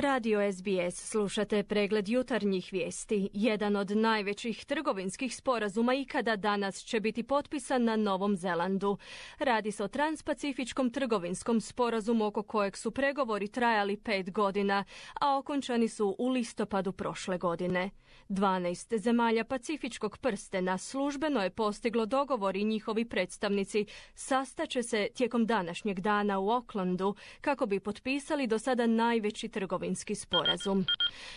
Radio SBS, slušate pregled jutarnjih vijesti. Jedan od najvećih trgovinskih sporazuma ikada danas će biti potpisan na Novom Zelandu. Radi se o transpacifičkom trgovinskom sporazumu oko kojeg su pregovori trajali 5 godina, a okončani su u listopadu prošle godine. 12 zemalja Pacifičkog prstena službeno je postiglo dogovor i njihovi predstavnici sastaće se tijekom današnjeg dana u Aucklandu kako bi potpisali do sada najveći trgovinski sporazum.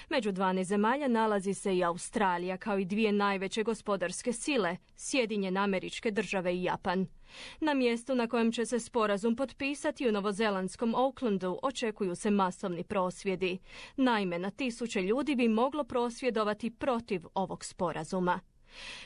Među 12 zemalja nalazi se i Australija kao i dvije najveće gospodarske sile, Sjedinjene Američke Države i Japan. Na mjestu na kojem će se sporazum potpisati u novozelandskom Aucklandu očekuju se masovni prosvjedi. Naime, na tisuće ljudi bi moglo prosvjedovati protiv ovog sporazuma.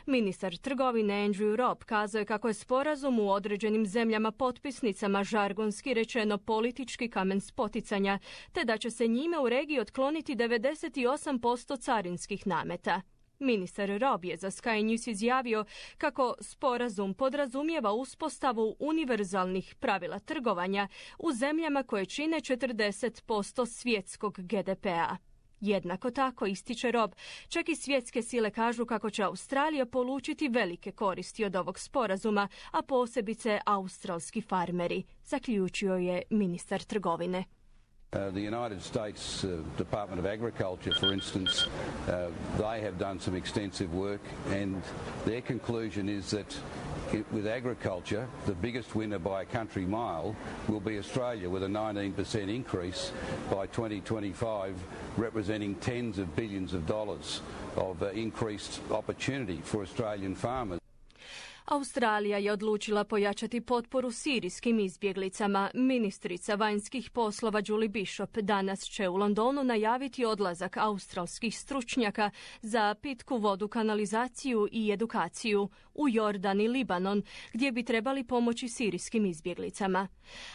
Ministar trgovine Andrew Robb kazao je kako je sporazum u određenim zemljama potpisnicama žargonski rečeno politički kamen spoticanja, te da će se njime u regiji otkloniti 98% carinskih nameta. Ministar Robb je za Sky News izjavio kako sporazum podrazumijeva uspostavu univerzalnih pravila trgovanja u zemljama koje čine 40% svjetskog GDP-a. Jednako tako, ističe Robb, čak i svjetske sile kažu kako će Australija polučiti velike koristi od ovog sporazuma, a posebice australski farmeri, zaključio je ministar trgovine. The United States Department of Agriculture, for instance, they have done some extensive work, and their conclusion is that with agriculture, the biggest winner by a country mile will be Australia, with a 19% increase by 2025, representing tens of billions of dollars of increased opportunity for Australian farmers. Australija je odlučila pojačati potporu sirijskim izbjeglicama. Ministrica vanjskih poslova Julie Bishop danas će u Londonu najaviti odlazak australskih stručnjaka za pitku vodu, kanalizaciju i edukaciju u Jordan i Libanon, gdje bi trebali pomoći sirijskim izbjeglicama.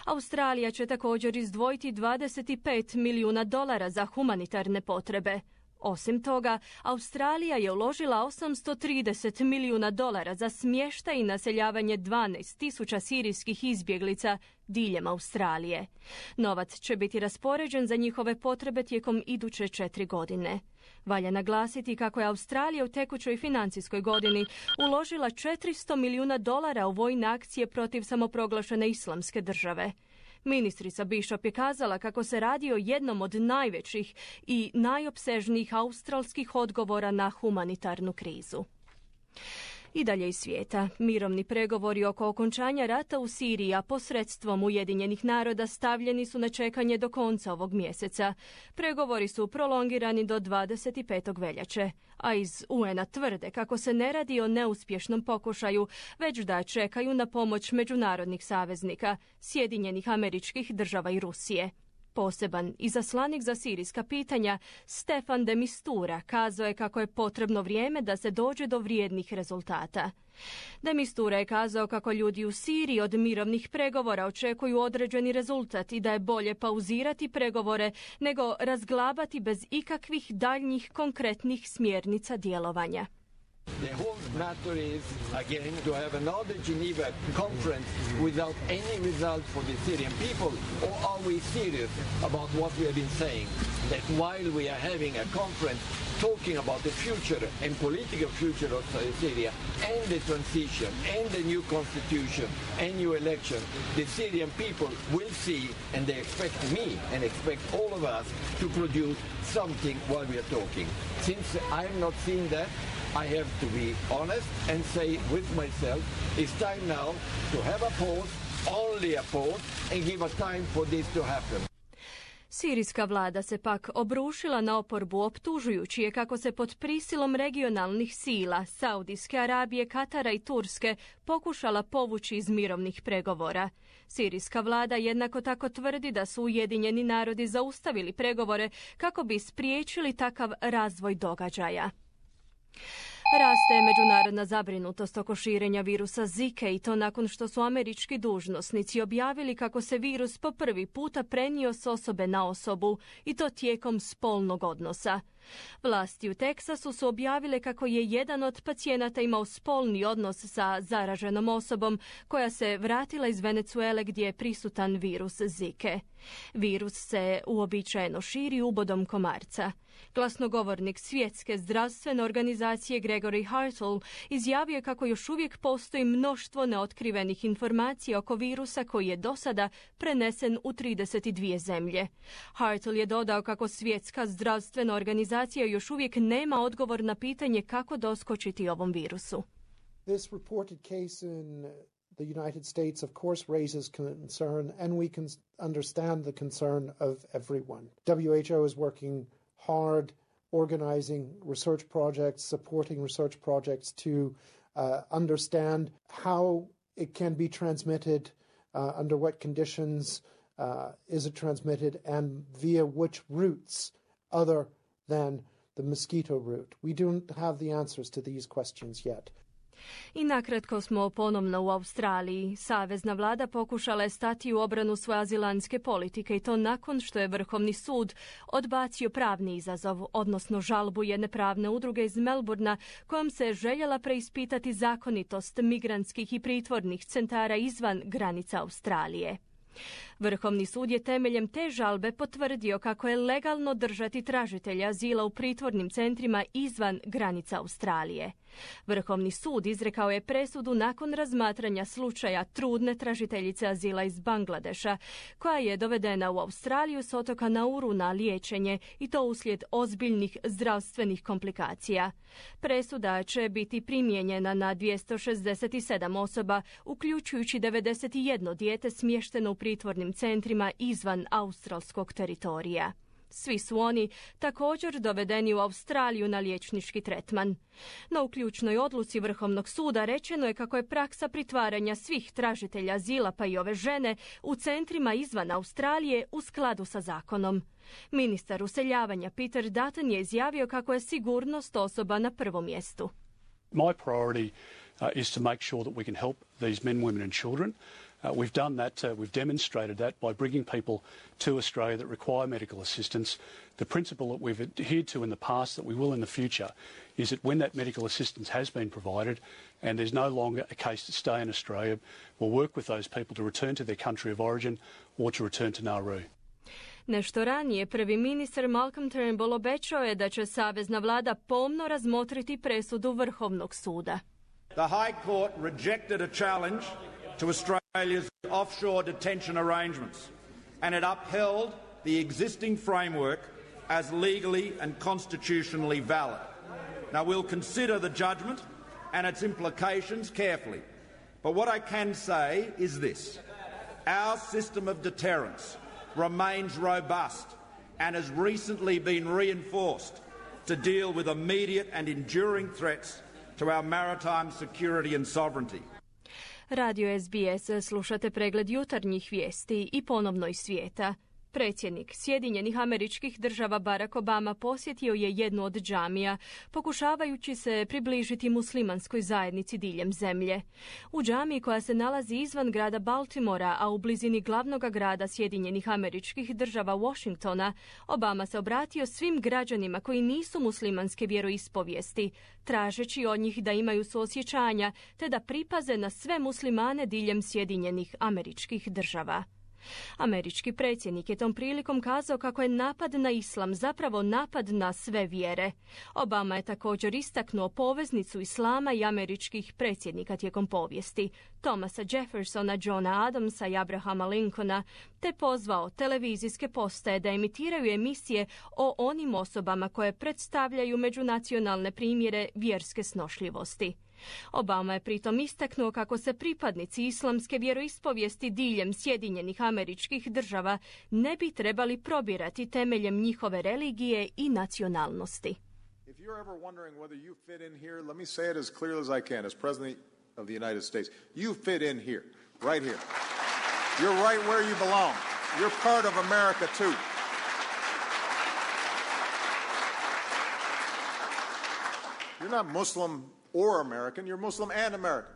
Australija će također izdvojiti $25 milijuna za humanitarne potrebe. Osim toga, Australija je uložila $830 milijuna za smještaj i naseljavanje 12.000 sirijskih izbjeglica diljem Australije. Novac će biti raspoređen za njihove potrebe tijekom iduće 4 godine. Valja naglasiti kako je Australija u tekućoj financijskoj godini uložila $400 milijuna u vojne akcije protiv samoproglašene Islamske države. Ministrica Bishop je kazala kako se radi o jednom od najvećih i najopsežnijih australskih odgovora na humanitarnu krizu. I dalje iz svijeta. Mirovni pregovori oko okončanja rata u Siriji, a posredstvom Ujedinjenih naroda stavljeni su na čekanje do konca ovog mjeseca. Pregovori su prolongirani do 25. veljače, a iz UN-a tvrde kako se ne radi o neuspješnom pokušaju, već da čekaju na pomoć međunarodnih saveznika, Sjedinjenih Američkih Država i Rusije. Poseban izaslanik za sirijska pitanja, Stefan de Mistura, kazao je kako je potrebno vrijeme da se dođe do vrijednih rezultata. De Mistura je kazao kako ljudi u Siriji od mirovnih pregovora očekuju određeni rezultat i da je bolje pauzirati pregovore nego razglabati bez ikakvih daljnjih konkretnih smjernica djelovanja. The whole matter is, again, to have another Geneva conference without any result for the Syrian people, or are we serious about what we have been saying? That while we are having a conference talking about the future and political future of Syria and the transition and the new constitution and new election, the Syrian people will see, and they expect me and expect all of us to produce something while we are talking. Since I'm not seeing that, I have to be honest and say with myself, it's time now to have a pause, only a pause, and give a time for this to happen. Sirijska vlada se pak obrušila na oporbu optužujući je kako se pod prisilom regionalnih sila Saudijske Arabije, Katara i Turske pokušala povući iz mirovnih pregovora. Sirijska vlada jednako tako tvrdi da su Ujedinjeni narodi zaustavili pregovore kako bi spriječili takav razvoj događaja. Raste međunarodna zabrinutost oko širenja virusa Zika i to nakon što su američki dužnosnici objavili kako se virus po prvi puta prenio s osobe na osobu i to tijekom spolnog odnosa. Vlasti u Teksasu su objavile kako je jedan od pacijenata imao spolni odnos sa zaraženom osobom koja se vratila iz Venezuele gdje je prisutan virus Zike. Virus se uobičajeno širi ubodom komarca. Glasnogovornik Svjetske zdravstvene organizacije Gregory Hartl izjavio je kako još uvijek postoji mnoštvo neotkrivenih informacija oko virusa koji je do sada prenesen u 32 zemlje. Hartl je dodao kako Svjetska zdravstvena organizacija još uvijek nema odgovor na pitanje kako doskočiti ovom virusu. This reported case in the United States, of course, raises concern, and we can understand the concern of everyone. WHO is working hard organizing research projects, supporting research projects to understand how it can be transmitted, under what conditions is it transmitted, and via which routes other than the mosquito route. We don't have the answers to these questions yet. I nakratko smo ponovno u Australiji. Savezna vlada pokušala je stati u obranu svoje azilanske politike i to nakon što je Vrhovni sud odbacio pravni izazov, odnosno žalbu jedne pravne udruge iz Melbourna kojom se je željela preispitati zakonitost migrantskih i pritvornih centara izvan granica Australije. Vrhovni sud je temeljem te žalbe potvrdio kako je legalno držati tražitelja azila u pritvornim centrima izvan granica Australije. Vrhovni sud izrekao je presudu nakon razmatranja slučaja trudne tražiteljice azila iz Bangladeša, koja je dovedena u Australiju s otoka Nauru na liječenje i to uslijed ozbiljnih zdravstvenih komplikacija. Presuda će biti primijenjena na 267 osoba, uključujući 91 dijete smješteno u pritvornim centrima izvan australskog teritorija. Svi su oni također dovedeni u Australiju na liječnički tretman. No u ključnoj odluci Vrhovnog suda rečeno je kako je praksa pritvaranja svih tražitelja azila pa i ove žene u centrima izvan Australije u skladu sa zakonom. Ministar useljavanja Peter Dutton je izjavio kako je sigurnost osoba na prvom mjestu. My priority is to make sure that we can help these men, women and children. We've done that, we've demonstrated that by bringing people to Australia that require medical assistance. The principle that we've adhered to in the past, that we will in the future, is that when that medical assistance has been provided and there's no longer a case to stay in Australia, we'll work with those people to return to their country of origin or to return to Nauru. Nešto ranije prvi ministar Malcolm Turnbull obećao je da će savezna vlada pomno razmotriti presudu Vrhovnog suda. The High Court rejected a challenge to Australia's offshore detention arrangements, and it upheld the existing framework as legally and constitutionally valid. Now, we'll consider the judgment and its implications carefully, but what I can say is this. Our system of deterrence remains robust and has recently been reinforced to deal with immediate and enduring threats to our maritime security and sovereignty. Radio SBS, slušate pregled jutarnjih vijesti i ponovno iz svijeta. Predsjednik Sjedinjenih Američkih Država Barack Obama posjetio je jednu od džamija, pokušavajući se približiti muslimanskoj zajednici diljem zemlje. U džamiji koja se nalazi izvan grada Baltimora, a u blizini glavnog grada Sjedinjenih Američkih Država Washingtona, Obama se obratio svim građanima koji nisu muslimanske vjeroispovijesti, tražeći od njih da imaju suosjećanja te da pripaze na sve muslimane diljem Sjedinjenih Američkih Država. Američki predsjednik je tom prilikom kazao kako je napad na islam zapravo napad na sve vjere. Obama je također istaknuo poveznicu islama i američkih predsjednika tijekom povijesti, Thomasa Jeffersona, Johna Adamsa i Abrahama Lincolna, te pozvao televizijske postaje da emitiraju emisije o onim osobama koje predstavljaju međunacionalne primjere vjerske snošljivosti. Obama je pritom istaknuo kako se pripadnici islamske vjeroispovijesti diljem Sjedinjenih Američkih Država ne bi trebali probirati temeljem njihove religije i nacionalnosti. If you're ever wondering whether you fit in here, let me say it as clearly as I can as President of the United States. You fit in here, right here. You're right where you belong. You're part of America too. You're not Muslim or American, you're Muslim and American.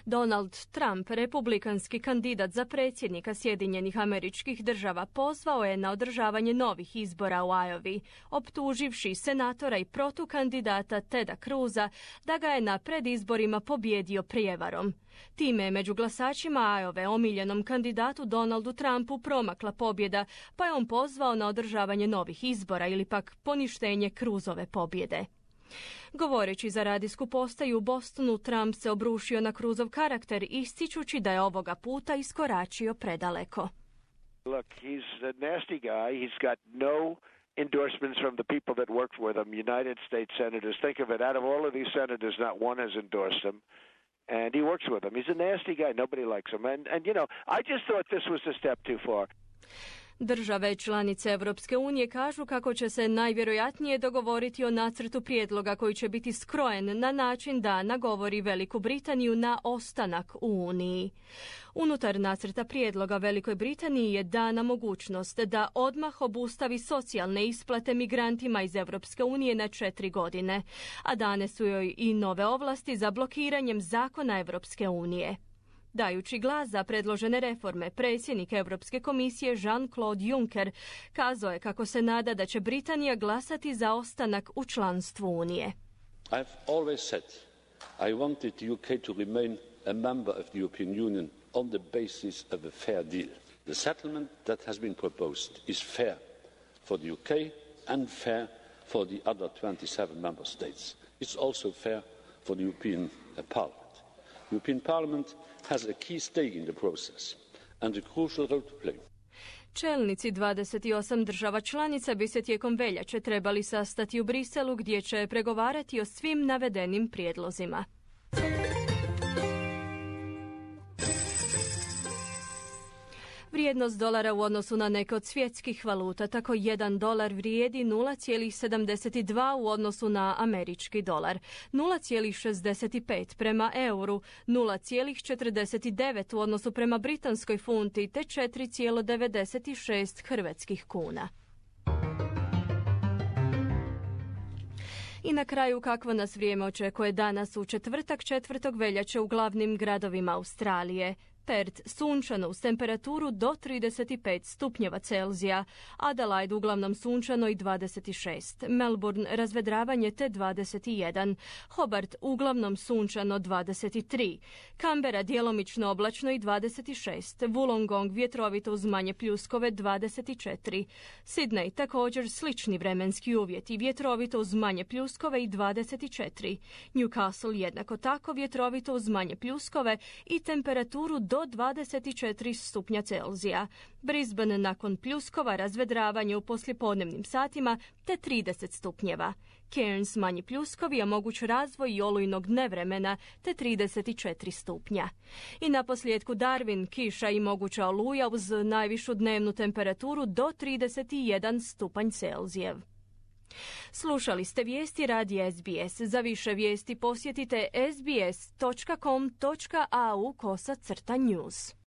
Donald Trump, republikanski kandidat za predsjednika Sjedinjenih Američkih Država, pozvao je na održavanje novih izbora u Iowi, optuživši senatora i protukandidata Teda Cruza da ga je na predizborima pobijedio prijevarom. Time je među glasačima Iowe omiljenom kandidatu Donaldu Trumpu promakla pobjeda, pa je on pozvao na održavanje novih izbora ili pak poništenje Cruzove pobjede. Govoreći za radijsku postaju u Bostonu, Trump se obrušio na Cruzov karakter, ističući da je ovoga puta iskoračio predaleko. Look, he's a nasty guy. He's got no endorsements from the people that work with him, United States senators. Think of it, out of all of these senators, not one has endorsed him. And he works with them. He's a nasty guy. Nobody likes him. And you know, I just thought this was a step too far. Države članice Europske unije kažu kako će se najvjerojatnije dogovoriti o nacrtu prijedloga koji će biti skrojen na način da nagovori Veliku Britaniju na ostanak u Uniji. Unutar nacrta prijedloga Velikoj Britaniji je dana mogućnost da odmah obustavi socijalne isplate migrantima iz Europske unije na 4 godine, a dane su joj i nove ovlasti za blokiranjem zakona Europske unije. Dajući glas za predložene reforme, predsjednik Europske komisije Jean-Claude Juncker kazao je kako se nada da će Britanija glasati za ostanak u članstvu Unije. I've always said I wanted the UK to remain a member of the European Union on the basis of a fair deal. The settlement that has been proposed is fair for the UK and fair for the other 27 member states. It's also fair for the European Parliament. The European Parliament has a key stake in the process and a crucial role to play. Čelnici 28 država članica bi se tijekom veljače trebali sastati u Briselu gdje će pregovarati o svim navedenim prijedlozima. Vrijednost dolara u odnosu na neke od svjetskih valuta, tako $1 vrijedi 0,72 u odnosu na američki dolar, 0,65 prema euru, 0,49 u odnosu prema britanskoj funti te 4,96 hrvatskih kuna. I na kraju, kakvo nas vrijeme očekuje danas u četvrtak 4. veljače u glavnim gradovima Australije. Perth sunčano uz temperaturu do 35 stupnjeva Celzija, Adelaide uglavnom sunčano i 26, Melbourne razvedravanje te 21, Hobart uglavnom sunčano 23, Canberra djelomično oblačno i 26, Wollongong vjetrovito uz manje pljuskove 24, Sydney također slični vremenski uvjeti, vjetrovito uz manje pljuskove i 24, Newcastle jednako tako vjetrovito uz manje pljuskove i temperaturu do 24 stupnja Celzija. Brisbane nakon pljuskova razvedravanje u poslijepodnevnim satima te 30 stupnjeva. Cairns manji pljuskovi, a moguć razvoj i olujnog nevremena te 34 stupnja. I naposljetku Darwin, kiša i moguća oluja uz najvišu dnevnu temperaturu do 31 stupanj Celzijev. Slušali ste vijesti radija SBS. Za više vijesti posjetite sbs.com.au/news.